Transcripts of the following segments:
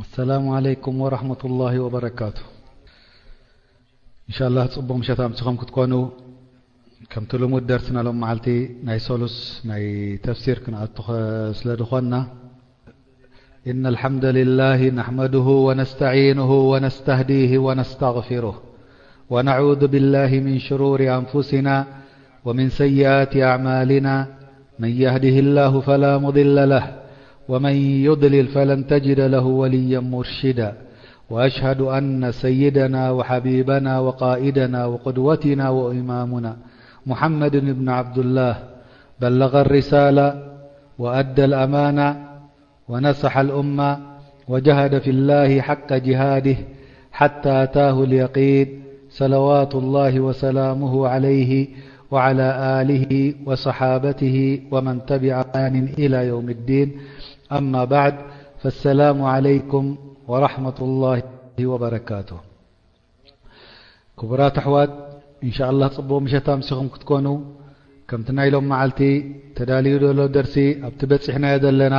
السلام عليكم ورحمة الله وبركاته. إن شاء الله، ጽቡቕ ምሸት ኣምሲኹም ክትኮኑ። ከምቲ ልሙድ፣ ደርስና ሎም መዓልቲ ናይ ሰሉስ ናይ ተፍሲር ክንኣቱ ኸ-፣ ስለ ዝኾንና፣ إن الحمد لله نحمده ونستعينه ونستهديه ونستغفره، ونعوذ بالله من شرور أنفسنا ومن سيئات أعمالنا، من يهده الله فلا مضل له، ومن يضلل فلن تجد له وليا مرشدا. وأشهد أن سيدنا وحبيبنا وقائدنا وقدوتنا وإمامنا محمد بن عبد الله بلغ الرسالة وأدى الأمانة ونصح الأمة وجاهد في الله حق جهاده حتى أتاه اليقين، صلوات الله وسلامه عليه وعلى آله وصحابته ومن تبع بإحسان إلى يوم الدين. أما بعد، فالسلام عليكم ورحمة الله وبركاته. ክቡራት ኣሕዋት፣ ኢንሻኣላህ ጽቡቕ ምሸት ኣምሲኹም ክትኮኑ። ከምቲ ናይ ሎም መዓልቲ ተዳልዩ ዘሎ ደርሲ ኣብቲ በጺሕናዮ ዘለና፣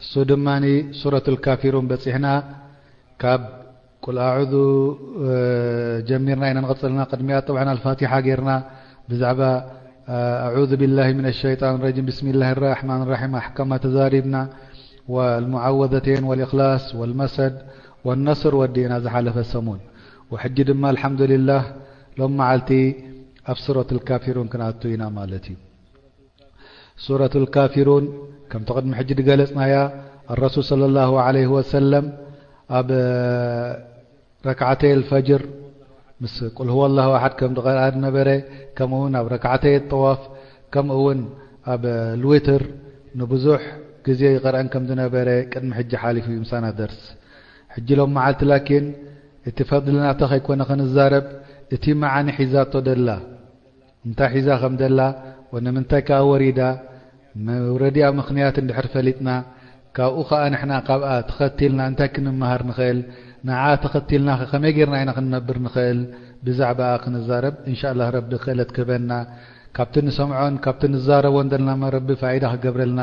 እሱ ድማ ሱረቱል ካፊሩን በጺሕና። ካብ ቁል ኣዑዙ፣ እ፣ ጀሚርና ኢና ንቐጽልና። ቅድሚኣ ጠብዓን ኣልፋቲሓ ጌርና ብዛዕባ፣ እ፣ ኣዑዙ ቢላሂ ሚነ ሸይጣን ረጂም፣ ብስሚላሂ ራሕማን ራሒም ኣሕካማ ተዛሪብና። والمعوذتين والإخلاص والمسد والنصر ወዲእና ዝሓለፈ ሰሙን። ወሕጂ ድማ ኣልሓምዱሊላህ ሎም መዓልቲ ኣብ ሱረቱል ካፊሩን ክንኣቱ ኢና ማለት እዩ። ሱረቱል ካፊሩን ከምቲ ቅድሚ ሕጂ ዝገለጽናያ፣ ኣረሱል ሰለላሁ ዐለይሂ ወሰለም ኣብ ረክዓተይ ኣልፈጅር ምስ ቁል ሁወ ኣላሁ ኣሓድ ከም ዝቐርኣ ዝነበረ፣ ከምኡ እውን ኣብ ረክዓተይ ጠዋፍ፣ ከምኡ እውን ኣብ ልዊትር ንብዙሕ ግዜ ይቐርአን ከም ዝነበረ ቅድሚ ሕጂ ሓሊፉ እዩ ምሳና ደርስ። ሕጂ ሎም መዓልቲ ላኪን እቲ ፈድሊ ናታ ከይኮነ ክንዛረብ፣ እቲ መዓኒ ሒዛቶ ደላ፣ እንታይ ሒዛ ከም ደላ፣ ወ ንምንታይ ከኣ ወሪዳ፣ መውረዲኣ ምኽንያት እንድሕር ፈሊጥና፣ ካብኡ ኸኣ ንሕና ካብኣ ተኸቲልና እንታይ ክንመሃር ንኽእል፣ ንዓ ተኸቲልና ኸ ከመይ ጌርና ኢና ክንነብር ንኽእል፣ ብዛዕባኣ ክንዛረብ። እንሻላህ ረቢ ክእለት ክህበና፣ ካብቲ ንሰምዖን ካብቲ ንዛረቦን ዘለና ረቢ ፋይዳ ክገብረልና፣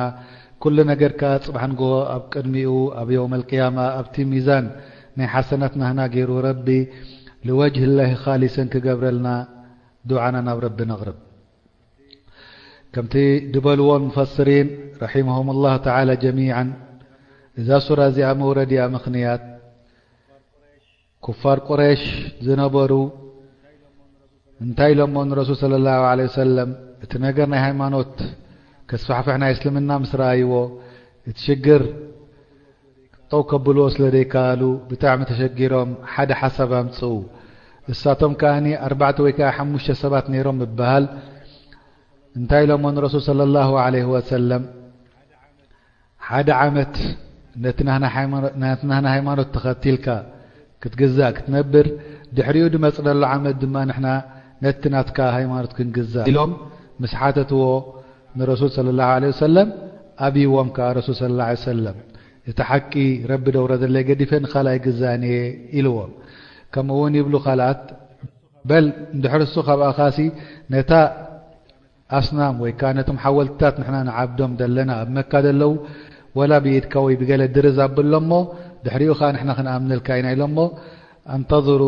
ኩሉ ነገር ከኣ ጽባሕ ንግሆ ኣብ ቅድሚኡ ኣብ የውመል ቅያማ ኣብቲ ሚዛን ናይ ሓሰናት ናህና ገይሩ ረቢ ልወጅህ ላሂ ኻሊሰን ክገብረልና ዱዓና ናብ ረቢ ነቕርብ። ከምቲ ድበልዎ ሙፈስሪን ረሒመሁም ላህ ተዓላ ጀሚዓን፣ እዛ ሱራ እዚኣ መውረዲኣ ምኽንያት ኩፋር ቁረይሽ ዝነበሩ እንታይ ኢሎሞ ንረሱል ሰለላሁ ዐለይሂ ወሰለም፣ እቲ ነገር ናይ ሃይማኖት ከስፋሕፍሕ ናይ እስልምና ምስ ረኣይዎ፣ እቲ ሽግር ጠው ከብልዎ ስለ ዘይከኣሉ ብጣዕሚ ተሸጊሮም ሓደ ሓሳብ ኣምጽኡ። እሳቶም ከኣኒ ኣርባዕተ ወይ ከኣ ሓሙሽተ ሰባት ነይሮም ይበሃል። እንታይ ኢሎሞ ንረሱል ሰለላሁ ዐለይሂ ወሰለም፣ ሓደ ዓመት ነቲ ናህና ሃይማኖ-፣ ነቲ ናህና ሃይማኖት ተኸቲልካ ክትግዛእ ክትነብር፣ ድሕሪኡ ድመጽእ ዘሎ ዓመት ድማ ንሕና ነቲ ናትካ ሃይማኖት ክንግዛእ ኢሎም ምስ ሓተትዎ ንረሱል ሰለላሁ ዐለይሂ ወሰለም ኣብይዎም ከኣ ረሱል ሰለላሁ ዐለይሂ ወሰለም፣ እቲ ሓቂ ረቢ ደውረደለይ ገዲፈ ንኻልኣይ ግዛእን እየ ኢልዎም። ከምኡ እውን ይብሉ ካልኣት፣ በል እንድሕር እሱ ካብኣኻሲ ነታ ኣስናም ወይ ከኣ ነቶም ሓወልትታት ንሕና ንዓብዶም ዘለና ኣብ መካ ዘለዉ፣ ወላ ብኢድካ ወይ ብገለ ድርዝ ኣብሎ እሞ ድሕሪኡ ከኣ ንሕና ክንኣምነልካ ኢና ኢሎሞ፣ ኣንተظሩ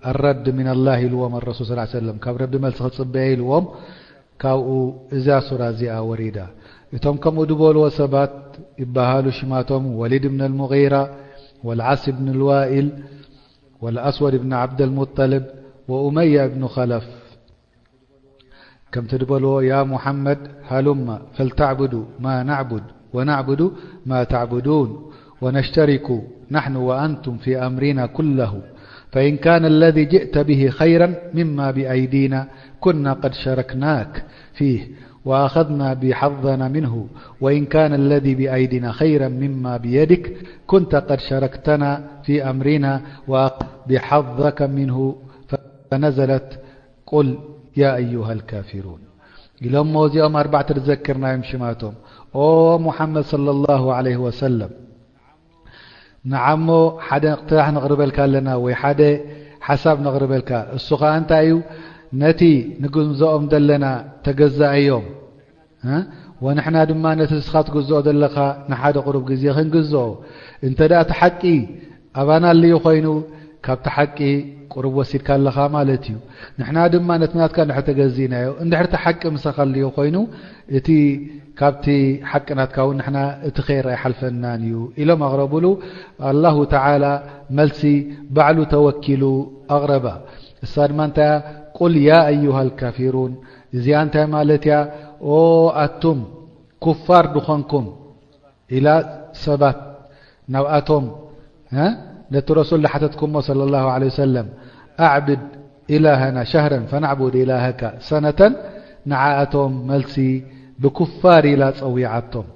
ኣረድ ሚነላህ ኢልዎም ኣረሱል ሰለላሁ ዐለይሂ ወሰለም፣ ካብ ረቢ መልሲ ክጽበየ ኢልዎም። ካብኡ እዛ ሱራ እዚኣ ወሪዳ። እቶም ከምኡ ዝበልዎ ሰባት ይበሃሉ ሽማቶም ወሊድ ብን ኣልሙጊራ ወልዓስ ብን ኣልዋኢል ወልኣስወድ ብን ዓብደልሙጠልብ ወኡመያ ብኑ ኸለፍ። ከምቲ ዝበልዎ፣ يا محمد هلم فلتعبد ما نعبد ونعبد ما تعبدون ونشترك نحن وأنتم في أمرنا كله، فإن كان الذي جئت به خيرا مما بأيدينا كنا قد شاركناك فيه وأخذنا بحظنا منه، وإن كان الذي بأيدينا خيرا مما بيدك كنت قد شاركتنا في أمرنا وأخذت بحظك منه. فنزلت قل يا أيها الكافرون. ኢሎሞ እዚኦም ኣርባዕተ ዝዘክርናዮም ሽማቶም። ኦ ሙሓመድ ሰለላሁ ዐለይሂ ወሰለም፣ ንዓሞ ሓደ እቕትራሕ ነቕርበልካ ኣለና ወይ ሓደ ሓሳብ ነቕርበልካ። እሱ ኸኣ እንታይ እዩ? ነቲ ንግንዘኦም ዘለና ተገዛእዮም። እ? ወንሕና ድማ ነቲ ንስኻ ትግዝኦ ዘለኻ ንሓደ ቁሩብ ግዜ ክንግዝኦ። እንተ ደኣ እቲ ሓቂ ኣባና ኣልዩ ኮይኑ፣ ካብቲ ሓቂ ቁሩብ ወሲድካ ኣለኻ ማለት እዩ። ንሕና ድማ ነቲ ናትካ እንድሕር ተገዚእናዮ፣ እንድሕር እቲ ሓቂ ምሳኻ ኣልዩ ኮይኑ፣ እቲ ካብቲ ሓቂ ናትካ እውን ንሕና እቲ ኸይር ኣይሓልፈናን እዩ ኢሎም ኣቕረቡሉ። ኣላሁ ተዓላ መልሲ ባዕሉ ተወኪሉ ኣቕረባ። እሳ ድማ እንታይ እያ? ቁል ያ ኣዩሃ ልካፊሩን። እዚኣ እንታይ ማለት እያ? ኦ ኣቱም ኩፋር ድኾንኩም ኢላ ሰባት ናብኣቶም፣ እ፣ ነቲ ረሱል ዝሓተትኩሞ ሰለላሁ ዐለይሂ ወሰለም፣ ኣዕብድ ኢላሃና ሸህረን ፈናዕቡድ ኢላሃካ ሰነተን፣ ንዓኣቶም መልሲ ብኩፋር ኢላ ጸዊዓቶም።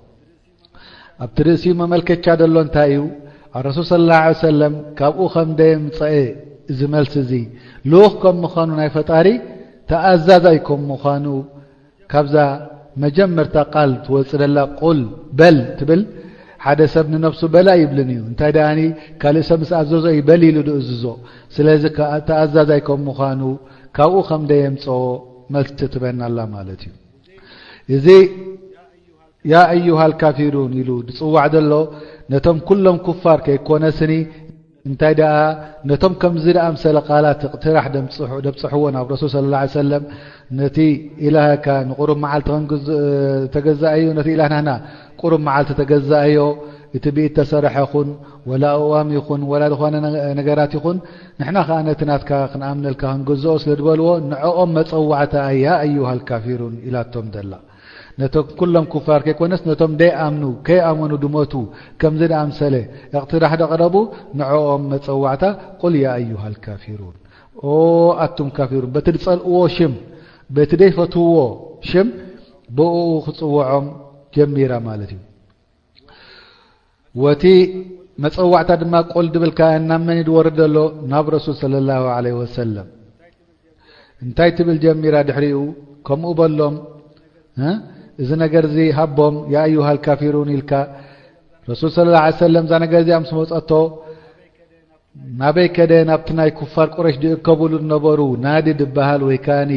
ኣብቲ ርእሲኡ መመልከቻ ደሎ እንታይ እዩ? ኣረሱል ሰለላሁ ዐለይሂ ወሰለም ካብኡ ከም ደየምጸኤ እዚ መልሲ እዚ ልኡኽ ከም ምዃኑ ናይ ፈጣሪ ተኣዛዛይ ከም ምዃኑ ካብዛ መጀመርታ ቃል ትወጽእ ዘላ ቁል በል ትብል፣ ሓደ ሰብ ንነብሱ በላ ይብልን እዩ። እንታይ ደኣኒ ካልእ ሰብ ምስ ኣዘዞ እዩ በል ኢሉ ድእዝዞ። ስለዚ ከኣ ተኣዛዛይ ከም ምዃኑ ካብኡ ከም ደየምጽኦ መልሲ ትበና ኣላ ማለት እዩ። እዚ ያ ኣዩሃ ልካፊሩን ኢሉ ዝጽዋዕ ዘሎ ነቶም ኩሎም ኩፋር ከይኮነስኒ፣ እንታይ ደኣ ነቶም ከምዚ ደኣ ምሰለ ቃላት እቕትራሕ ደምጽሑ-፣ ደብጽሕዎ ናብ ረሱል ሰለላሁ ዐለይሂ ወሰለም፣ ነቲ ኢላህካ ንቁሩብ መዓልቲ ክንግዝ-፣ ተገዛእዮ፣ ነቲ ኢላህ ናህና ቁሩብ መዓልቲ ተገዛእዮ፣ እቲ ብኢድ ተሰርሐ ይኹን፣ ወላ ኣእዋም ይኹን፣ ወላ ዝኾነ ነገ-፣ ነገራት ይኹን፣ ንሕና ኸኣ ነቲ ናትካ ክንኣምነልካ ክንግዝኦ ስለ ዝበልዎ፣ ንዕኦም መጸዋዕታ እያ ኣዩሃ ልካፊሩን ኢላቶም ዘላ። ነቶም ኩሎም ኩፋር ከይኮነስ፣ ነቶም ደይኣምኑ፣ ከይኣመኑ ድሞቱ፣ ከምዚ ደኣምሰለ እቕትራሕ ደቕረቡ፣ ንዕኦም መጸዋዕታ፣ ቁል ያ ኣዩሃ ልካፊሩን። ኦ ኣቱም ካፊሩን፣ በቲ ዝጸልእዎ ሽም፣ በቲ ደይፈትውዎ ሽም፣ ብእኡ ክጽውዖም ጀሚራ ማለት እዩ። ወቲ መጸዋዕታ ድማ ቁል ድብል ከኣ ናብ መን እዩ ዝወርድ ዘሎ? ናብ ረሱል ሰለላሁ ዐለይሂ ወሰለም። እንታይ ትብል ጀሚራ ድሕሪኡ? ከምኡ በሎም፣ እ? እዚ ነገር እዚ ሃቦም፣ ያ ኣዩሃ ልካፊሩን ኢልካ። ረሱል ሰለላሁ ዐለይሂ ወሰለም እዛ ነገር እዚኣ ምስ መጸቶ፣ ናበይ ከደ? ናብቲ ናይ ኩፋር ቁረሽ ዝእከብሉ ዝነበሩ ናዲ ዝበሃል ወይ ከኣኒ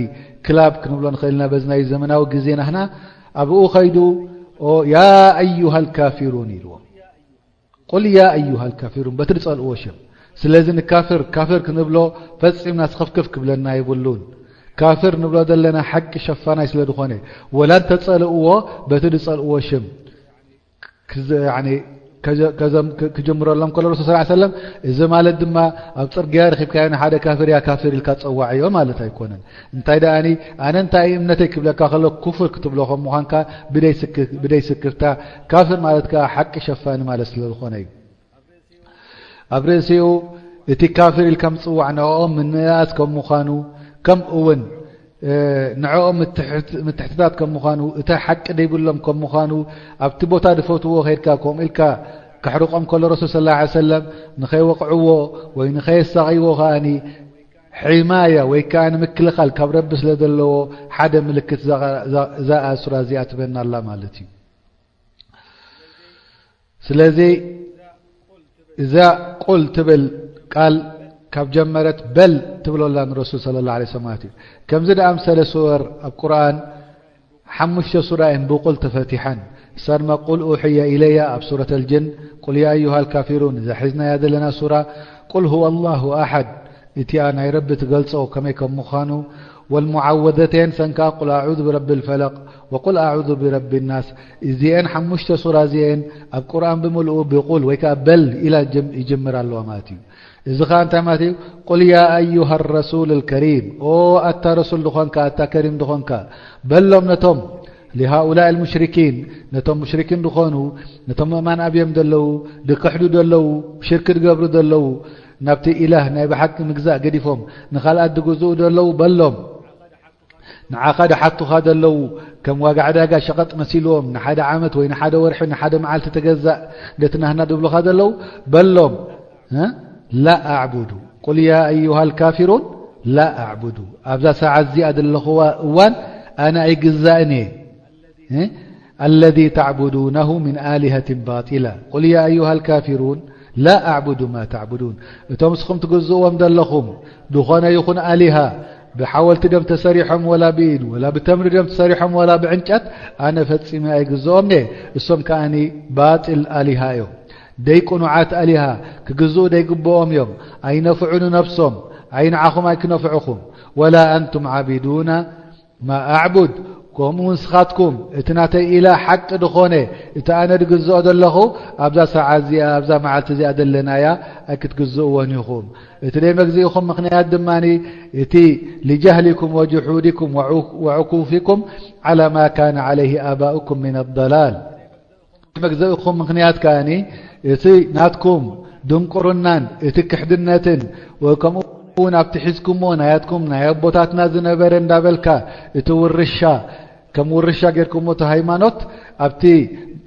ክላብ ክንብሎ ንኽእል ኢና በዚ ናይ ዘመናዊ ግዜ ናህና። ኣብኡ ኸይዱ፣ ኦ ያ ኣዩሃ ልካፊሩን ኢልዎም። ቁል ያ ኣዩሃ ልካፊሩን፣ በቲ ዝጸልእዎ ሽም። ስለዚ ንካፍር ካፍር ክንብሎ ፈጺምና ስኽፍክፍ ክብለና የብሉን። ካፍር ንብሎ ዘለና ሓቂ ሸፋናይ ስለ ዝኾነ፣ ወላ እንተጸልእዎ በቲ ዝጸልእዎ ሽም ክዝ-፣ ያኒ ከዘ-፣ ከዘም-፣ ክ-፣ ክጅምረሎም ከሎ ረሱል ሰለላሁ ዐለይሂ ወሰለም፣ እዚ ማለት ድማ ኣብ ጽርግያ ረኺብካዮ ንሓደ ካፍር ያ ካፍር ኢልካ ጸዋዕዮ ማለት ኣይኮነን። እንታይ ደኣኒ፣ ኣነ እንታይ እምነተይ ክብለካ ከሎ፣ ኩፍር ክትብሎ ከም ምዃንካ ብደይ ስክ-፣ ብደይ ስክፍታ፣ ካፍር ማለት ከኣ ሓቂ ሸፋኒ ማለት ስለ ዝኾነ እዩ። ኣብ ርእሲኡ እቲ ካፍር ኢልካ ምጽዋዕ ንዕኦም ምንእኣስ ከም ምዃኑ፣ ከምኡ እውን፣ እ፣ ንዕኦም ምትሕት-፣ ምትሕትታት ከም ምዃኑ፣ እቲ ሓቂ ደይብሎም ከም ምዃኑ፣ ኣብቲ ቦታ ዝፈትዎ ኸይድካ ከምኡ ኢልካ ከሕርቆም ከሎ ረሱል ሰለላሁ ዐለይሂ ወሰለም ንኸይወቕዕዎ ወይ ንኸየሳቕይዎ ከኣኒ ሒማያ ወይ ከኣ ንምክልኻል ካብ ረቢ ስለ ዘለዎ ሓደ ምልክት እዛ፣ እዛ፣ እዛ ሱራ እዚኣ ትበና ኣላ ማለት እዩ። ስለዚ እዛ ቁል ትብል ቃል ካብ ጀመረት በል ትብሎ ኣላ ንረሱል ሰለላሁ ዐለይሂ ወሰለም ማለት እዩ። ከምዚ ደኣምሰለ ሱወር ኣብ ቁርኣን ሓሙሽተ ሱራ እየን ብቁል ተፈቲሐን። እሳ ድማ ቁል ኡሕየ ኢለያ ኣብ ሱረት ኣልጅን፣ ቁል ያ ኣዩሃ ልካፊሩን፣ እዛ ሒዝናያ ዘለና ሱራ ቁል ሁወ ኣላሁ ኣሓድ፣ እቲኣ ናይ ረቢ ትገልጾ ከመይ ከም ምዃኑ፣ ወልሙዓወዘተይን፣ ሰን ከኣ ቁል ኣዑዙ ብረቢ ልፈለቅ ወቁል ኣዑዙ ብረቢ ናስ። እዚኤን ሓሙሽተ ሱራ እዚኤን ኣብ ቁርኣን ብምልኡ ብቁል ወይ ከኣ በል ኢላ ጅም-፣ ይጅምር ኣለዋ ማለት እዩ። እዚ ኸኣ እንታይ ማለት እዩ? ቁል ያ ኣዩሃ ረሱል ልከሪም፣ ኦ ኣታ ረሱል ዝኾንካ፣ ኣታ ከሪም ዝኾንካ፣ በሎም ነቶም ሊሃኡላእ ልሙሽሪኪን፣ ነቶም ሙሽሪኪን ዝኾኑ፣ ነቶም ምእማን ኣብዮም ዘለዉ፣ ድክሕዱ ዘለዉ፣ ሽርኪ ድገብሩ ዘለዉ፣ ናብቲ ኢላህ ናይ ብሓቂ ምግዛእ ገዲፎም ንኻልኣት ድግዝኡ ዘለዉ በሎም። ንዓኻ ድሓቱኻ ዘለዉ፣ ከም ዋጋ ዕዳጋ ሸቐጥ መሲልዎም፣ ንሓደ ዓመት ወይ ንሓደ ወርሒ፣ ንሓደ መዓልቲ ተገዛእ፣ ነቲ ናህና ድብሉኻ ዘለዉ በሎም፣ እ? ላ ኣዕቡዱ። ቁል ያ ኣዩሃ ልካፊሩን ላ ኣዕቡዱ። ኣብዛ ሰዓት እዚኣ ዘለኽዋ እዋን ኣነ ኣይግዛእን እየ። እ? ኣለዚ ተዕቡዱነሁ ምን ኣሊሀትን ባጢላ። ቁል ያ ኣዩሃ ልካፊሩን ላ ኣዕቡዱ ማ ተዕቡዱን። እቶም ንስኹም ትግዝእዎም ዘለኹም ዝኾነ ይኹን ኣሊሃ፣ ብሓወልቲ ድዮም ተሰሪሖም ወላ ብኢድ፣ ወላ ብተምሪ ድዮም ተሰሪሖም ወላ ብዕንጨት፣ ኣነ ፈጺመ ኣይግዝኦም እየ። እሶም ከኣኒ ባጢል ኣሊሃ እዮም። ደይ ቅኑዓት ኣሊሃ፣ ክግዝኡ ደይግብኦም እዮም። ኣይነፍዑ ንነብሶም፣ ኣይ ንዓኹም ኣይክነፍዑኹም። ወላ ኣንቱም ዓቢዱና ማ ኣዕቡድ፣ ከምኡ ንስኻትኩም እቲ ናተይ ኢላ ሓቂ ድኾነ፣ እቲ ኣነ ድግዝኦ ዘለኹ፣ ኣብዛ ሰዓት እዚኣ፣ ኣብዛ መዓልቲ እዚኣ ዘለናያ ኣይክትግዝእዎን ኢኹም። እቲ ደይ መግዝኢኹም ምኽንያት ድማ እቲ ሊጃህሊኩም ወጅሑዲኩም ወዑ-፣ ወዕኩፊኩም ዓላ ማ ካነ ዓለይሂ ኣባኡኩም ሚነ ዶላል። መግዘእኩም ምኽንያት ከኣኒ እቲ ናትኩም ድንቁርናን እቲ ክሕድነትን፣ ወከምኡ እውን ኣብቲ ሒዝኩሞ ናያትኩም ናይ ኣቦታትና ዝነበረ እንዳበልካ እቲ ውርሻ፣ ከም ውርሻ ጌርኩሞ እቲ ሃይማኖት ኣብቲ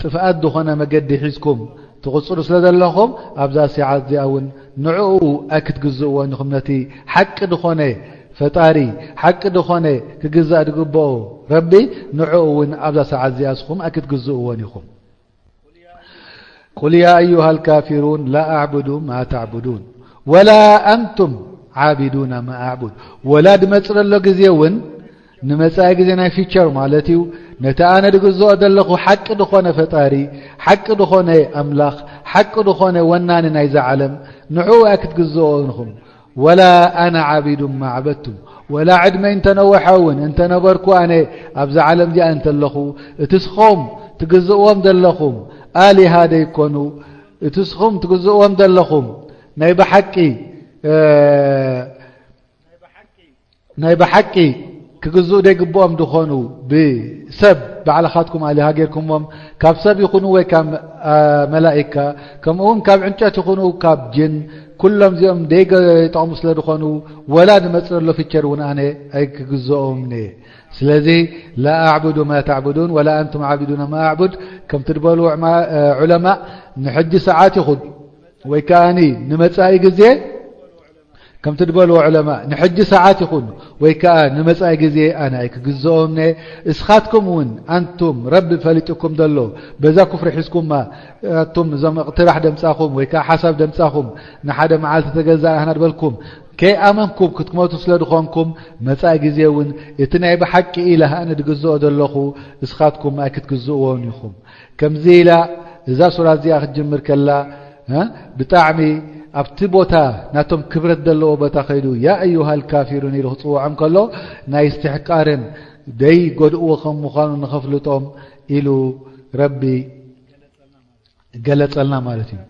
ጥፍኣት ዝኾነ መገዲ ሒዝኩም ትቕጽሉ ስለ ዘለኹም፣ ኣብዛ ሰዓት እዚኣ እውን ንዕኡ ኣይክትግዝእዎን ኢኹም። ነቲ ሓቂ ዝኾነ ፈጣሪ፣ ሓቂ ዝኾነ ክግዛእ ዝግብኦ ረቢ፣ ንዕኡ እውን ኣብዛ ሰዓት እዚኣ እስኹም ኣይክትግዝእዎን ኢኹም። ቁል ያ ኣዩሃ ልካፊሩን ላ ኣዕቡዱ ማ ተዕቡዱን ወላ ኣንቱም ዓቢዱና ማ ኣዕቡድ። ወላ ድመጽእ ዘሎ ግዜ እውን ንመጻኢ ግዜ ናይ ፊቸር ማለት እዩ። ነቲ ኣነ ድግዝኦ ዘለኹ ሓቂ ድኾነ ፈጣሪ፣ ሓቂ ድኾነ ኣምላኽ፣ ሓቂ ድኾነ ወናኒ ናይዛ ዓለም፣ ንዕኡ ኣይክትግዝኦ ኢኹም። ወላ ኣነ ዓቢዱን ማ ዓበድቱም፣ ወላ ዕድመይ እንተነወሐ እውን፣ እንተነበርኩ ኣነ ኣብዛ ዓለም እዚኣ እንተለኹ፣ እቲ ስኹም ትግዝእዎም ዘለኹም ኣሊሃ ደይኮኑ፣ እቲ ስኹም ትግዝእዎም ዘለኹም ናይ ብሓቂ፣ እ፣ ናይ ብሓቂ ክግዝኡ ደይግብኦም ድኾኑ ብሰብ ባዕልኻትኩም ኣሊሃ ጌርኩሞም፣ ካብ ሰብ ይኹኑ ወይ ካብ፣ እ፣ መላኢካ፣ ከምኡ እውን ካብ ዕንጨት ይኹኑ ካብ ጅን፣ ኩሎም እዚኦም ደይገ-፣ ይጠቕሙ ስለ ዝኾኑ፣ ወላ ዝመጽእ ዘሎ ፊቸር እውን ኣነ ኣይክግዝኦምን እየ። ስለዚ ላ ኣዕቡዱ ማ ተዕቡዱን ወላ ኣንቱም ዓቢዱና ማ ኣዕቡድ፣ ከምቲ ዝበሉ ዑማ-፣ ዑለማእ፣ ንሕጂ ሰዓት ይኹን ወይ ከኣኒ ንመጻኢ ግዜ፣ ከምቲ ዝበልዎ ዑለማእ፣ ንሕጂ ሰዓት ይኹን ወይ ከኣ ንመጻኢ ግዜ ኣነ ኣይክግዝኦምን እየ። እስኻትኩም እውን ኣንቱም ረቢ ፈሊጡኩም ዘሎ በዛ ኩፍሪ ሒዝኩማ፣ ኣቱም እዞም እቕትራሕ ደምጻኹም ወይ ከኣ ሓሳብ ደምጻኹም፣ ንሓደ መዓልቲ ተገዛእና በልኩም ከይኣመንኩም ክትሞቱ ስለ ዝኾንኩም፣ መጻኢ ግዜ እውን እቲ ናይ ብሓቂ ኢላህ ኣነ ድግዝኦ ዘለኹ እስኻትኩም ኣይክትግዝእዎን ኢኹም። ከምዚ ኢላ እዛ ሱራ እዚኣ ክትጅምር ከላ፣ እ፣ ብጣዕሚ ኣብቲ ቦታ ናቶም ክብረት ዘለዎ ቦታ ከይዱ፣ ያ ኣዩሃ ልካፊሩን ኢሉ ክጽውዖም ከሎ፣ ናይ እስትሕቃርን ደይ ጎድእዎ ከም ምዃኑ ንኸፍልጦም ኢሉ ረቢ ገለጸልና ማለት እዩ።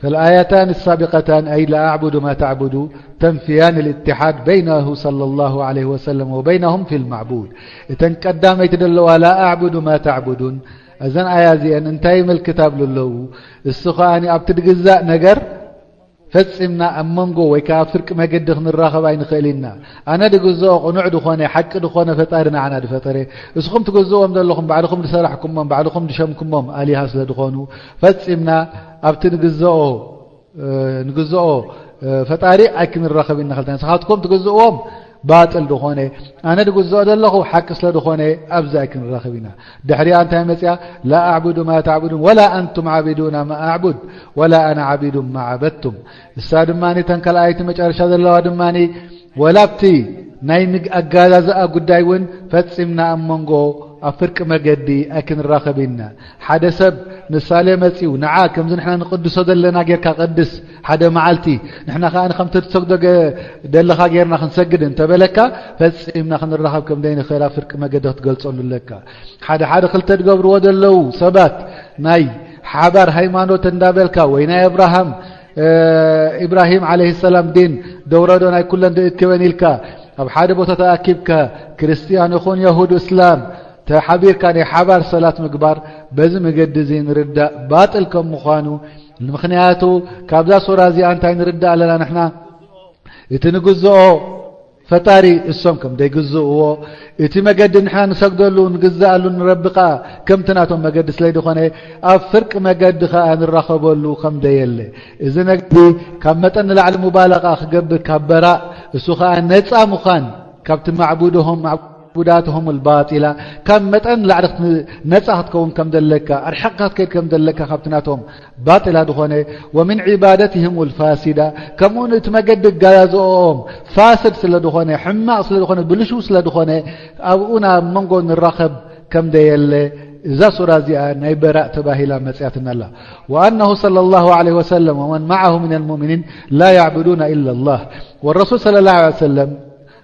فالآيتان السابقتان أي لا أعبد ما تعبد تنفيان الاتحاد بينه صلى الله عليه وسلم وبينهم في المعبود። እተን ቀዳመይቲ ዘለዋ لا أعبد ما تعبدون፣ እዘን ኣያ እዚአን እንታይ ይምልክት ኣብሉ ኣለዉ? እሱ ከኣ ኣብቲ ድግዛእ ነገር ፈጺምና ኣብ መንጎ ወይ ከኣ ኣብ ፍርቂ መገዲ ክንራኸብ ኣይንኽእል ኢና። ኣነ ድግዝኦ ቅኑዕ ድኾነ፣ ሓቂ ድኾነ ፈጣሪ ንዓና ድፈጠረ፣ እስኹም ትግዝእዎም ዘለኹም፣ ባዕልኹም ድሰራሕኩሞም፣ ባዕልኹም ድሸምኩሞም ኣሊሃ ስለ ድኾኑ፣ ፈጺምና ኣብቲ ንግዝኦ፣ እ፣ ንግዝኦ፣ እ፣ ፈጣሪ ኣይክንራኸብ ኢና። ክልተ ንስኻትኩም ትግዝእዎም ባጥል ድኾነ፣ ኣነ ድግዝኦ ዘለኹ ሓቂ ስለ ድኾነ፣ ኣብዚ ኣይክንራኸብ ኢና። ድሕሪኣ እንታይ መጽያ? لا أعبد ما تعبدون ولا أنتم عابدون ما أعبد ولا أنا عابد ما عبدتم። እሳ ድማ እተን ካልኣይቲ መጨረሻ ዘለዋ ድማ፣ ወላ ኣብቲ ናይ ምግ-፣ ኣገዛዝኣ ጉዳይ እውን ፈጺምና ኣብ መንጎ ኣብ ፍርቂ መገዲ ኣይክንራኸብ ኢና። ሓደ ሰብ ምሳሌ መጺኡ፣ ንዓ ከምዚ ንሕና ንቅድሶ ዘለና ጌርካ ቅድስ፣ ሓደ መዓልቲ ንሕና ከኣ ከምቲ ትሰግዶ ገ-፣ ደለኻ ጌርና ክንሰግድ እንተበለካ፣ ፈጺምና ክንራኸብ ከም ዘይንኽእል ኣብ ፍርቂ መገዲ ክትገልጸሉ ኣለካ። ሓደ ሓደ ክልተ ዝገብርዎ ዘለዉ ሰባት ናይ ሓባር ሃይማኖት እንዳበልካ ወይ ናይ እብራሃም፣ እ፣ ኢብራሂም ዓለይሂ ሰላም ዲን ደውረዶ ናይ ኩለን ድእክበን ኢልካ ኣብ ሓደ ቦታ ተኣኪብካ ክርስትያን ይኹን የሁድ እስላም ተሓቢርካ ናይ ሓባር ሰላት ምግባር በዚ መገዲ እዚ ንርዳእ ባጥል ከም ምዃኑ። ምኽንያቱ ካብዛ ሱራ እዚኣ እንታይ ንርዳእ ኣለና ንሕና? እቲ ንግዝኦ ፈጣሪ እሶም ከም ዘይግዝእዎ፣ እቲ መገዲ ንሕና ንሰግደሉ ንግዝኣሉ ንረቢ ከኣ ከምቲ ናቶም መገዲ ስለ ዝኾነ፣ ኣብ ፍርቂ መገዲ ከኣ ንራኸበሉ ከም ዘየለ፣ እዚ ነግዲ ካብ መጠን ንላዕሊ ሙባለቓ ክገብር ካብ በራእ፣ እሱ ከኣ ነጻ ምዃን ካብቲ ማዕቡድሆም፣ ማዕ-፣ عباداتهم الباطلة، ካብ መጠን ላዕሊ ክት-፣ ነጻ ክትከውን ከም ዘለካ፣ ኣርሒቕካ ክትከይድ ከም ዘለካ ካብቲ ናቶም ባጢላ ዝኾነ፣ ومن عبادتهم الفاسدة، ከምኡውን እቲ መገዲ ኣገዛዝኦም ፋስድ ስለ ዝኾነ፣ ሕማቕ ስለ ዝኾነ፣ ብልሹው ስለ ዝኾነ፣ ኣብኡ ናብ መንጎ ንራኸብ ከም ደየለ እዛ ሱራ እዚኣ ናይ በራእ ተባሂላ መጽያትና ኣላ። وأنه صلى الله عليه وسلم ومن معه من المؤمنين لا يعبدون إلا الله. والرسول صلى الله عليه وسلم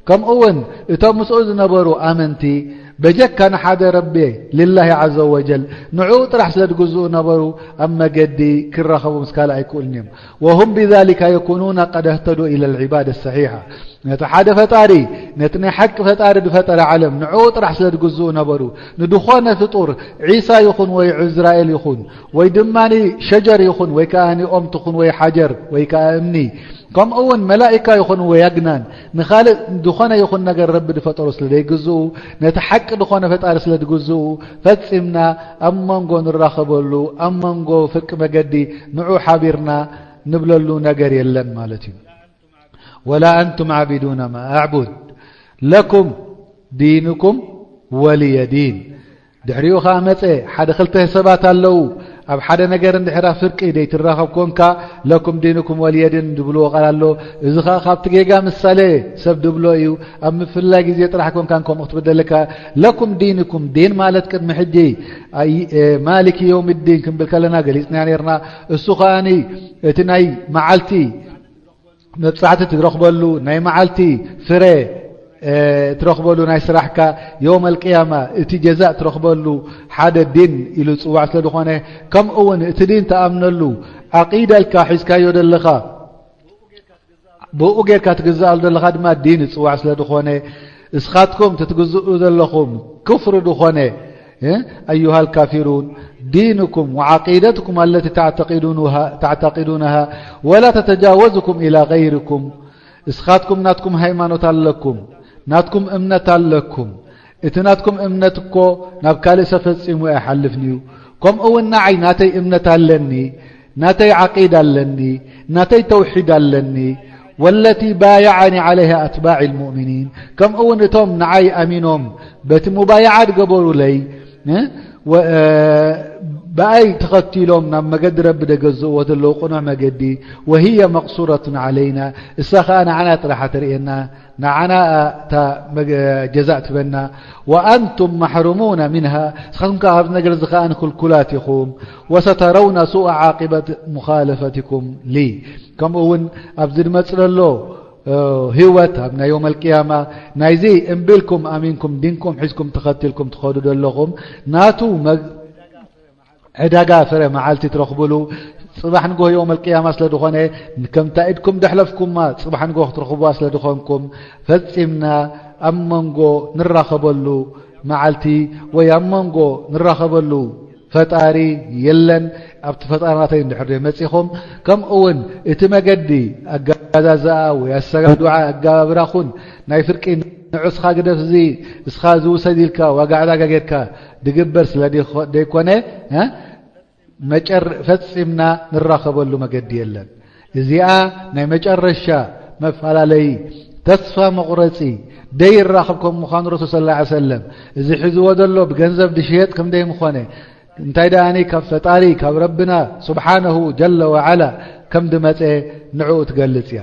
ከምኡ እውን እቶም ምስኡ ዝነበሩ ኣመንቲ በጀካ ንሓደ ረቢ፣ ሊላሂ ዓዘ ወጀል፣ ንዕኡ ጥራሕ ስለ ዝግዝኡ ነበሩ፣ ኣብ መገዲ ክራኸቡ ምስ ካልእ ኣይክእሉን እዮም። وهم بذلك يكونون قد اهتدوا إلى العبادة الصحيحة. ነቲ ሓደ ፈጣሪ፣ ነቲ ናይ ሓቂ ፈጣሪ ዝፈጠረ ዓለም ንዕኡ ጥራሕ ስለ ዝግዝኡ ነበሩ፣ ንድኾነ ፍጡር፣ ዒሳ ይኹን ወይ ዕዝራኤል ይኹን ወይ ድማ ሸጀር ይኹን ወይ ከኣ ኦም ትኹን ወይ ሓጀር ወይ ከኣ እምኒ፣ ከምኡ እውን መላኢካ ይኹን ወይ ኣግናን፣ ንኻልእ ዝኾነ ይኹን ነገር ረቢ ዝፈጠሮ ስለ ዘይግዝኡ፣ ነቲ ሓቂ ዝኾነ ፈጣሪ ስለ ዝግዝኡ፣ ፈጺምና ኣብ መንጎ ንራኸበሉ፣ ኣብ መንጎ ፍርቂ መገዲ ንዑ ሓቢርና ንብለሉ ነገር የለን ማለት እዩ። ولا أنتم عابدون ما أعبد لكم دينكم ولي دين. ድሕሪኡ ኸዓ መጸ፣ ሓደ ክልተ ሰባት ኣለዉ። ኣብ ሓደ ነገር እንድሕራ ፍርቂ ዘይትራኸብ ኮንካ፣ ለኩም ዲንኩም ወልየ ዲን ዝብልዎ ቃል ኣሎ። እዚ ኸዓ ካብቲ ጌጋ ምሳሌ ሰብ ድብሎ እዩ። ኣብ ምፍልላይ ግዜ ጥራሕ ኮንካ ከምኡ ክትብል ዘለካ። ለኩም ዲንኩም፣ ዲን ማለት ቅድሚ ሕጂ ኣይ-፣ እ፣ ማሊኪ የውም ዲን ክንብል ከለና ገሊጽና ነርና። እሱ ኸዓኒ እቲ ናይ መዓልቲ መብጻዕቲ ትረኽበሉ፣ ናይ መዓልቲ ፍረ፣ እ፣ ትረኽበሉ፣ ናይ ስራሕካ የውመል ቅያማ እቲ ጀዛእ ትረኽበሉ ሓደ ዲን ኢሉ ዝጽዋዕ ስለ ዝኾነ፣ ከምኡ እውን እቲ ዲን ትኣምነሉ ዓቂዳልካ ሒዝካዮ ዘለኻ፣ ብኡ ጌርካ ትግዝኣሉ ዘለኻ ድማ ዲን ዝጽዋዕ ስለ ዝኾነ፣ እስኻትኩም ትትግዝኡ ዘለኹም ክፍሪ ዝኾነ، እ፣ أيها الكافرون، دينكم وعقيدتكم التي تعتقدونها، تعتقدونها ولا تتجاوزكم إلى غيركم. እስኻትኩም ናትኩም ሃይማኖት ኣለኩም፣ ናትኩም እምነት ኣለኩም። እቲ ናትኩም እምነት እኮ ናብ ካልእ ሰብ ፈጺሙ ኣይሓልፍን እዩ። ከምኡ እውን ንዓይ ናተይ እምነት ኣለኒ፣ ናተይ ዓቂዳ ኣለኒ፣ ናተይ ተውሒድ ኣለኒ። والتي بايعني عليها أتباع المؤمنين، ከምኡ እውን እቶም ንዓይ ኣሚኖም በቲ ሙባይዓ ዝገበሩለይ፣ እ፣ ወ-፣ እ፣ ብኣይ ተኸቲሎም ናብ መገዲ ረቢ ደገዝእዎ ዘለዉ ቅኑዕ መገዲ، وهي مقصورة علينا، እሳ ኸዓ ንዓና ጥራሕ ተርእየና፣ ንዓና እታ መገ-፣ ጀዛእ ትበና። وأنتم محرومون منها، ንስኻትኩም ከኣ ካብዚ ነገር እዚ ከኣ ንክልኩላት ኢኹም። وسترون سوء عاقبة مخالفتكم لي، ከምኡ እውን ኣብዚ ዝመጽእ ዘሎ፣ እ፣ ህይወት ኣብ ናይ የውመል ቅያማ ናይዚ እምቢ ኢልኩም ኣሚንኩም ዲንኩም ሒዝኩም ተኸቲልኩም ትኸዱ ዘለኹም ናቱ መግ-፣ ዕዳጋ ፍረ መዓልቲ ትረኽብሉ ጽባሕ ንግሆ የውመል ቅያማ ስለ ዝኾነ፣ ከምታ ኢድኩም ደሕለፍኩማ ጽባሕ ንግሆ ክትረኽብዋ ስለ ዝኾንኩም፣ ፈጺምና ኣብ መንጎ ንራኸበሉ መዓልቲ ወይ ኣብ መንጎ ንራኸበሉ ፈጣሪ የለን። ኣብቲ ፈጣሪ ናተይ እንድሕር ደይ መጺኹም፣ ከምኡ እውን እቲ መገዲ ኣገዛዝኣ ወይ ኣሰጋድዓ ኣገባብራኹን ናይ ፍርቂ ንዑ እስኻ ግደፍ፣ እዚ እስኻ ዝውሰድ ኢልካ ዋጋ ዕዳጋ ጌርካ ድግበር ስለ ደይኮ-፣ ደይኮነ፣ እ? መጨር-፣ ፈጺምና ንራኸበሉ መገዲ የለን። እዚኣ ናይ መጨረሻ መፈላለዪ ተስፋ መቑረጺ ደይራኸብ ከም ምዃኑ ረሱል ሰለላሁ ዐለይሂ ወሰለም እዚ ሒዝዎ ዘሎ ብገንዘብ ድሽየጥ ከም ደይምኾነ፣ እንታይ ደኣኒ ካብ ፈጣሪ ካብ ረብና ስብሓነሁ ጀለ ወዓላ ከም ድመጸ ንዕኡ ትገልጽ እያ።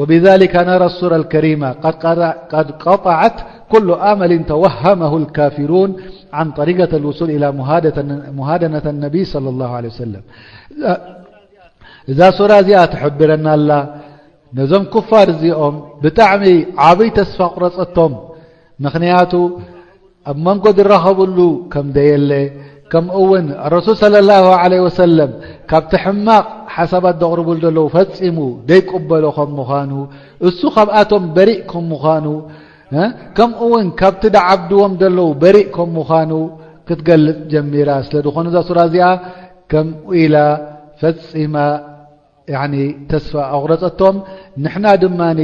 وبذلك نرى السورة الكريمة قد قطع-، قد قطعت كل أمل توهمه الكافرون عن طريقة الوصول إلى مهادة-، مهادنة النبي صلى الله عليه وسلم. እዛ ሱራ እዚኣ ትሕብረና ኣላ። ነዞም ኩፋር እዚኦም ብጣዕሚ ዓብይ ተስፋ ቁረጸቶም። ምኽንያቱ ኣብ መንጎ ዝራኸብሉ ከም ደየለ፣ ከምኡ እውን ረሱል ሰለላሁ ዐለይሂ ወሰለም ካብቲ ሕማቕ ሓሳባት ዘቕርቡሉ ዘለዉ ፈጺሙ ደይቅበሎ ከም ምዃኑ፣ እሱ ካብኣቶም በሪእ ከም ምዃኑ፣ እ፣ ከምኡ እውን ካብቲ ዝዓብድዎም ዘለዉ በሪእ ከም ምዃኑ ክትገልጽ ጀሚራ። ስለ ዝኾነ እዛ ሱራ እዚኣ ከምኡ ኢላ ፈጺማ ያኒ ተስፋ ኣቑረጸቶም። ንሕና ድማኒ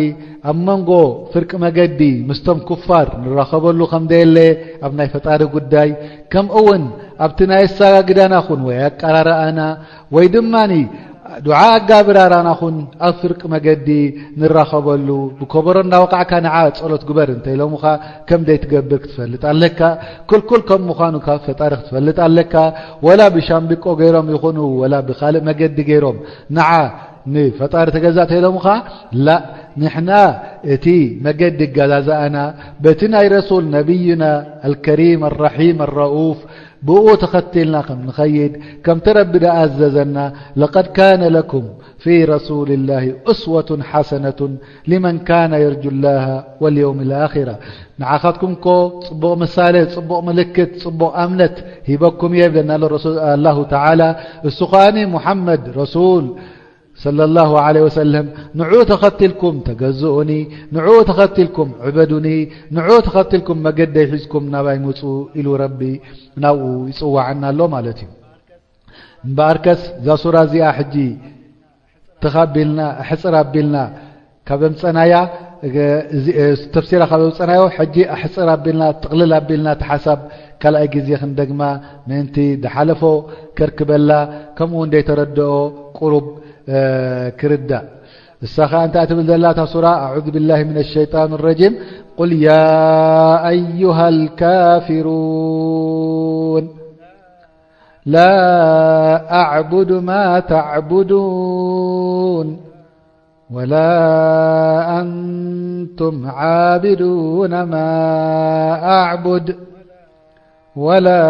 ኣብ መንጎ ፍርቂ መገዲ ምስቶም ኩፋር ንራኸበሉ ከም ደየለ ኣብ ናይ ፈጣሪ ጉዳይ፣ ከምኡ እውን ኣብቲ ናይ ኣሰጋግዳና ኹን ወይ ኣቀራርኣና ወይ ድማኒ ዱዓ ኣጋብር ኣራና ኹን ኣብ ፍርቂ መገዲ ንራኸበሉ። ብከበሮ እናወቃዕካ ንዓ ጸሎት ግበር እንተ ኢሎምኻ ከም ዘይትገብር ክትፈልጥ ኣለካ። ክልኩል ከም ምዃኑ ካብ ፈጣሪ ክትፈልጥ ኣለካ። ወላ ብሻምብቆ ገይሮም ይኹኑ ወላ ብኻልእ መገዲ ገይሮም ንዓ ንፈጣሪ ተገዛእ እንተ ኢሎምኻ፣ ላእ፣ ንሕና እቲ መገዲ እገዛዝኣና በቲ ናይ ረሱል ነቢይና ኣልከሪም ኣራሒም ኣረኡፍ ብኡ ተኸቲልና ከም ንኸይድ፣ ከምቲ ረቢ ደኣዘዘና፣ لقد كان لكم في رسول الله أسوة حسنة لمن كان يرجو الله واليوم الآخرة። ንዓኻትኩም እኮ ጽቡቕ ምሳሌ፣ ጽቡቕ ምልክት፣ ጽቡቕ ኣምነት ሂበኩም እየ ይብለና ኣሎ ረሱል፣ ኣላሁ ተዓላ። እሱ ኸኣኒ ሙሓመድ ረሱል ሰለላሁ ዐለይሂ ወሰለም፣ ንዕኡ ተኸቲልኩም ተገዝኡኒ፣ ንዕኡ ተኸቲልኩም ዕበዱኒ፣ ንዕኡ ተኸቲልኩም መገደይ ሒዝኩም ናባይ ምጹ ኢሉ ረቢ ናብኡ ይጽዋዓና ኣሎ ማለት እዩ። እምበኣርከስ እዛ ሱራ እዚኣ ሕጂ ትኽ ኣቢልና፣ ኣሕጽር ኣቢልና ካብ ኣምጸናያ፣ እዚ፣ ተፍሲራ ካብ ኣምጸናዮ፣ ሕጂ ኣሕጽር ኣቢልና፣ ጥቕልል ኣቢልና እቲ ሓሳብ ካልኣይ ግዜ ክንደግማ ምእንቲ ዝሓለፎ ከርክበላ፣ ከምኡ እውን ዘይተረድኦ ቁሩብ፣ እ፣ ክርዳእ። እሳ ኸኣ እንታይ ትብል ዘላ እታ ሱራ? أعوذ بالله من الشيطان الرجيم. قل يا أيها الكافرون لا أعبد ما تعبدون ولا أنتم عابدون ما أعبد ولا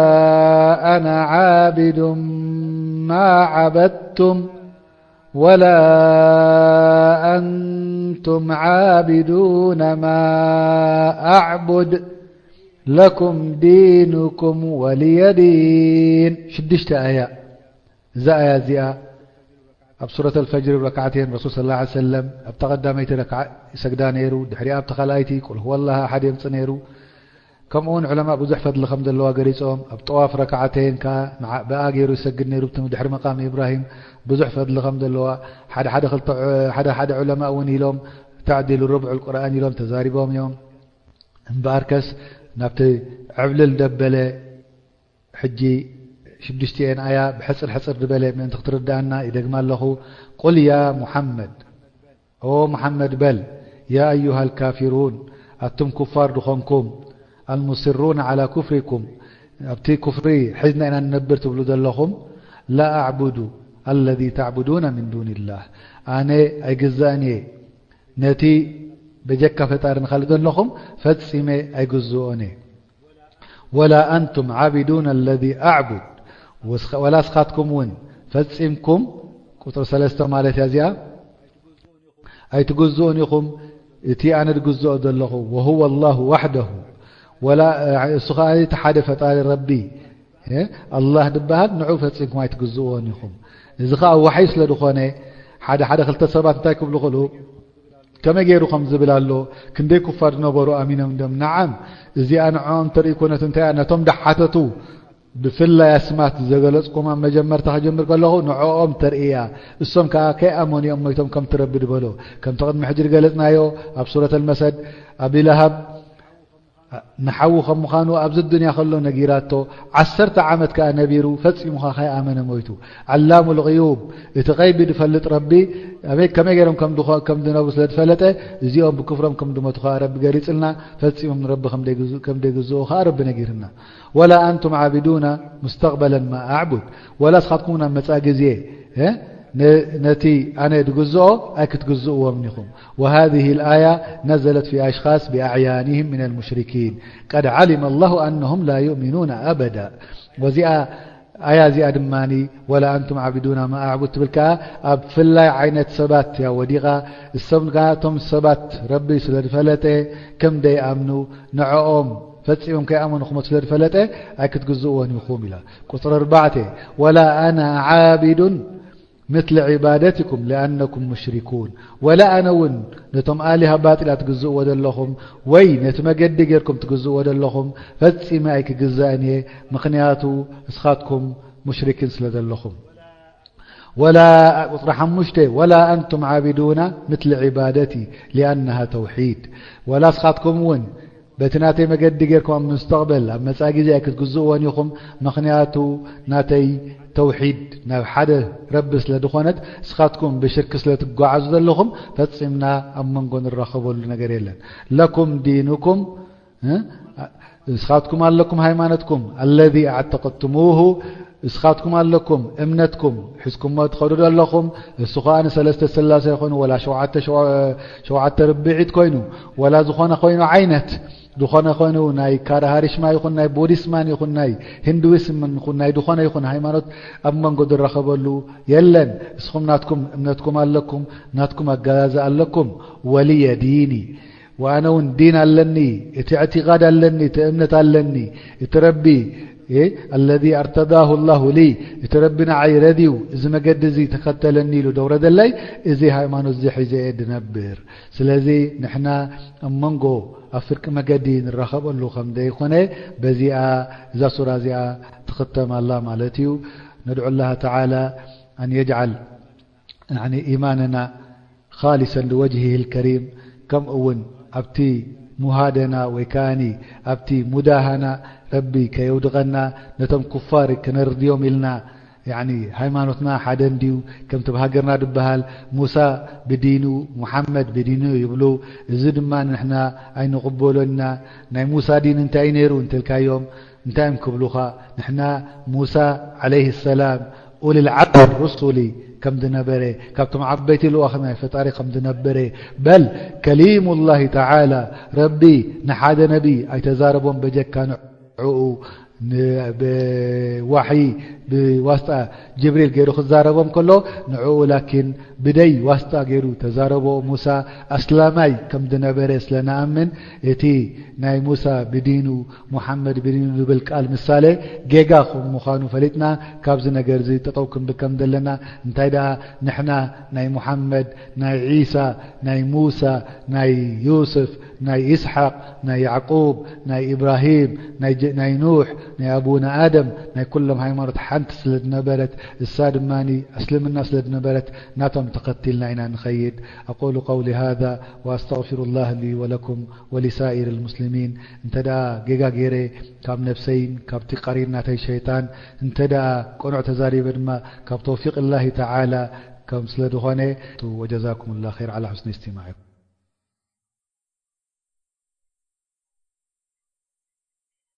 أنا عابد ما عبدتم ولا أنتم عابدون ما أعبد لكم دينكم ولي دين. ሽዱሽተ ኣያ። እዛ ኣያ እዚኣ ኣብ ሱረት ኣልፈጅር ረክዓተይን ረሱል ሰለላሁ ዐለይሂ ወሰለም ኣብታ ቀዳመይቲ ረክዓ ይሰግዳ ነይሩ። ድሕሪኣ ኣብታ ካልኣይቲ ቁል ሁወላህ ኣሓድ የምጽእ ነይሩ። ከምኡውን ዑለማእ ብዙሕ ፈድሊ ከም ዘለዋ ገሊጾም፣ ኣብ ጠዋፍ ረክዓተይን ከኣ ንዓ-፣ ብኣ ገይሩ ይሰግድ ነይሩ። ብቲ ድሕሪ መቃም ኢብራሂም ብዙሕ ፈድሊ ከም ዘለዋ ሓደ ሓደ ክልተ ዑ-፣ ሓደ ሓደ ዑለማእ እውን ኢሎም፣ ተዕዲሉ ርብዑል ቁርኣን ኢሎም ተዛሪቦም እዮም። እምበኣርከስ ናብቲ ዕብልል ደበለ ሕጂ ሽዱሽቲኤን ኣያ ብሕጽር ሕጽር ዝበለ ምእንቲ ክትርድኣና ይደግማ ኣለኹ። ቁል ያ ሙሓመድ፣ ኦ ሙሓመድ በል፣ ያ ኣዩሃ ኣልካፊሩን፣ ኣቱም ኩፋር ድኾንኩም፣ ኣልሙስሩን ዓላ ኩፍሪኩም፣ ኣብቲ ኩፍሪ ሒዝና ኢና ንነብር ትብሉ ዘለኹም፣ ላ ኣዕቡዱ ኣለዚ ተዕቡዱነ ምን ዱንላህ፣ ኣነ ኣይግዛእን እየ ነቲ በጀካ ፈጣሪ ንኻልእ ዘለኹም ፈጺመ ኣይግዝኦን እየ። ወላ ኣንቱም ዓቢዱን ኣለዚ ኣዕቡድ፣ ወላ ስኻትኩም እውን ፈጺምኩም፣ ቁጽሪ ሰለስተ ማለት እያ እዚኣ፣ ኣይትግዝኡን ኢኹም እቲ ኣነ ድግዝኦ ዘለኹ፣ ወሁወ ኣላሁ ዋሕደሁ፣ ወላ እሱ ኸኣ እቲ ሓደ ፈጣሪ ረቢ፣ እ፣ ኣላህ ድበሃል ንዑ ፈጺምኩም ኣይትግዝእዎን ኢኹም። እዚ ኸኣ ዋሕይ ስለ ዝኾነ ሓደ ሓደ ክልተ ሰባት እንታይ ክብሉ ክእሉ፣ ከመይ ገይሩ ከም ዝብል ኣሎ፣ ክንደይ ኩፋር ዝነበሩ ኣሚኖም እንድዮም። ነዓም፣ እዚኣ ንዕኦም ተርኢ ኮነት እንታይ እያ? ነቶም ደሓተቱ ብፍላይ ኣስማት ዘገለጽኩም ኣብ መጀመርታ ክጀምር ከለኹ ንዕኦም ተርኢ እያ። እሶም ከኣ ከይኣመኑ እዮም ሞይቶም ከምቲ ረቢ ዝበሎ። ከምቲ ቅድሚ ሕጂ ዝገለጽናዮ ኣብ ሱረት ኣልመሰድ፣ ኣቢ ለሃብ ንሓዉ ከም ምዃኑ ኣብዚ ዱንያ ከሎ ነጊራቶ፣ ዓሰርተ ዓመት ከኣ ነቢሩ ፈጺሙ ከኣ ከይኣመነ ሞይቱ። ዓላሙል ቕዩብ፣ እቲ ቐይቢ ዝፈልጥ ረቢ፣ ኣበይ ከመይ ገይሮም ከም ድኾ-፣ ከም ዝነብሩ ስለ ዝፈለጠ፣ እዚኦም ብክፍሮም ከም ዝሞቱ ከኣ ረቢ ገሊጽልና፣ ፈጺሞም ንረቢ ከም ዘይግዝ-፣ ከም ዘይግዝኡ ከኣ ረቢ ነጊርና። ወላ ኣንቱም ዓቢዱና ሙስተቕበለን ማ ኣዕቡድ፣ ወላ እስኻትኩም ናብ መጻኢ ግዜ፣ እ፣ ነ-፣ ነቲ ኣነ ድግዝኦ ኣይክትግዝእዎም ኢኹም። وهذه الآية نزلت في أشخاص بأعيانهم من المشركين قد علم الله أنهم لا يؤمنون أبدا። ወዚኣ ኣያ እዚኣ ድማ ወላ ኣንቱም ዓቢዱና ማ ኣዕቡድ ትብል ከኣ ኣብ ፍላይ ዓይነት ሰባት እያ ወዲቓ። እሶም ከኣ እቶም ሰባት ረቢ ስለ ዝፈለጠ ከም ዘይኣምኑ ንዕኦም ፈጺሞም ከይኣመኑ ክሞቱ ስለ ዝፈለጠ ኣይክትግዝእዎን ኢኹም ኢላ። ቁጽሪ ኣርባዕተ፣ ወላ ኣና ዓቢዱን ምትለ ዒባደትኩም ሊኣነኩም ሙሽሪኩን። ወላ ኣነ እውን ነቶም ኣሊሃ ባጢላት ትግዝእዎ ዘለኹም ወይ ነቲ መገዲ ጌርኩም ትግዝእዎ ዘለኹም ፈጺመ ኣይክግዛእን እየ፣ ምኽንያቱ እስኻትኩም ሙሽሪኪን ስለ ዘለኹም። ወላ፣ ቁጽሪ ሓሙሽተ፣ ወላ ኣንቱም ዓቢዱና ምትለ ዒባደቲ ሊኣነሃ ተውሒድ። ወላ እስኻትኩም እውን በቲ ናተይ መገዲ ጌርኩም ኣብ ምስተቕበል ኣብ መጻኢ ግዜ ኣይክትግዝእዎን ኢኹም። ምኽንያቱ ናተይ ተውሒድ ናብ ሓደ ረቢ ስለ ዝኾነት፣ እስኻትኩም ብሽርክ ስለ ትጓዓዙ ዘለኹም፣ ፈጺምና ኣብ መንጎ ንራኸበሉ ነገር የለን። ለኩም ዲኑኩም፣ እ? እስኻትኩም ኣለኩም ሃይማኖትኩም፣ الذي اعتقدتموه፣ እስኻትኩም ኣለኩም እምነትኩም ሒዝኩሞ ትኸዱ ዘለኹም። እሱ ኸኣ ንሰለስተ ስላሴ ይኹን፣ ወላ ሸውዓተ ሸው-፣ ሸውዓተ ርብዒት ኮይኑ፣ ወላ ዝኾነ ኮይኑ ዓይነት፣ ዝኾነ ኮይኑ ናይ ካራሃሪሽማ ይኹን፣ ናይ ቡዲስማን ይኹን፣ ናይ ሂንዱይስምን ይኹን፣ ናይ ዝኾነ ይኹን ሃይማኖት ኣብ መንጎ ዝራኸበሉ የለን። እስኹም ናትኩም እምነትኩም ኣለኩም፣ ናትኩም ኣገዛዝኣ ኣለኩም። ወልየ ዲኒ፣ ወኣነ እውን ዲን ኣለኒ፣ እቲ እዕቲቓድ ኣለኒ፣ እቲ እምነት ኣለኒ፣ እቲ ረቢ፣ እ፣ الذي ارتضاه الله لي፣ እቲ ረቢ ንዓይ ረድዩ፣ እዚ መገዲ እዚ ተኸተለኒ ኢሉ ደውረደለይ፣ እዚ ሃይማኖት እዚ ሒዘ እየ ድነብር። ስለዚ ንሕና ኣብ መንጎ ኣብ ፍርቂ መገዲ ንራኸበሉ ከም ዘይኮነ፣ በዚኣ፣ እዛ ሱራ እዚኣ ትኽተም ኣላ ማለት እዩ። ندعو الله تعالى أن يجعل يعني إيماننا خالصا لوجهه الكريم، ከምኡ እውን ኣብቲ ሙሃደና ወይ ከኣኒ ኣብቲ ሙዳሃና ረቢ ከየውድቐና፣ ነቶም ኩፋር ከነርድዮም ኢልና። ያኒ ሃይማኖትና ሓደ እንድዩ፣ ከምቲ ብሃገርና ድበሃል ሙሳ ብዲኑ፣ ሙሓመድ ብዲኑ ይብሉ። እዚ ድማ ንሕና ኣይንቕበሎን ኢና። ናይ ሙሳ ዲን እንታይ እዩ ነይሩ እንተልካዮም፣ እንታይ እዮም ክብሉኻ? ንሕና ሙሳ ዓለይሂ ሰላም ኡሉል ዓዝሚ ሩሱሊ ከም ዝነበረ፣ ካብቶም ዓበይቲ ልኡኻት ናይ ፈጣሪ ከም ዝነበረ፣ በል ከሊሙላሂ ተዓላ፣ ረቢ ንሓደ ነቢ ኣይተዛረቦም በጀካ ንዕኡ፣ ን-፣ ብዋሕይ ብዋስጣ ጅብሪል ገይሩ ክዛረቦም ከሎ፣ ንዕኡ ላኪን ብደይ ዋስጣ ገይሩ ተዛረቦ። ሙሳ ኣስላማይ ከም ዝነበረ ስለ ንኣምን፣ እቲ ናይ ሙሳ ብዲኑ፣ ሙሓመድ ብዲኑ ዝብል ቃል ምሳሌ ጌጋ ከም ምዃኑ ፈሊጥና፣ ካብዚ ነገር እዚ ጠጠው ክንብል ከም ዘለና። እንታይ ደኣ ንሕና ናይ ሙሓመድ፣ ናይ ዒሳ፣ ናይ ሙሳ፣ ናይ ዩስፍ፣ ናይ ኢስሓቅ፣ ናይ ያዕቁብ፣ ናይ ኢብራሂም፣ ናይ ጀ-፣ ናይ ኑሕ፣ ናይ ኣቡና ኣደም፣ ናይ ኩሎም ሃይማኖት ሓንቲ ስለ ዝነበረት፣ እሳ ድማ እስልምና ስለ ዝነበረት፣ ናቶም ተኸቲልና ኢና ንኸይድ። أقول قولي هذا وأستغفر الله لي ولكم ولسائر المسلمين. እንተ ደኣ ጌጋ ገይረ ካብ ነብሰይን ካብቲ ቀሪን ናተይ ሸይጣን፣ እንተ ደኣ ቅኑዕ ተዛሪበ ድማ ካብ ተውፊቅ ላሂ ተዓላ ከም ስለ ዝኾነ፣ وجزاكم الله خير على حسن استماعكم.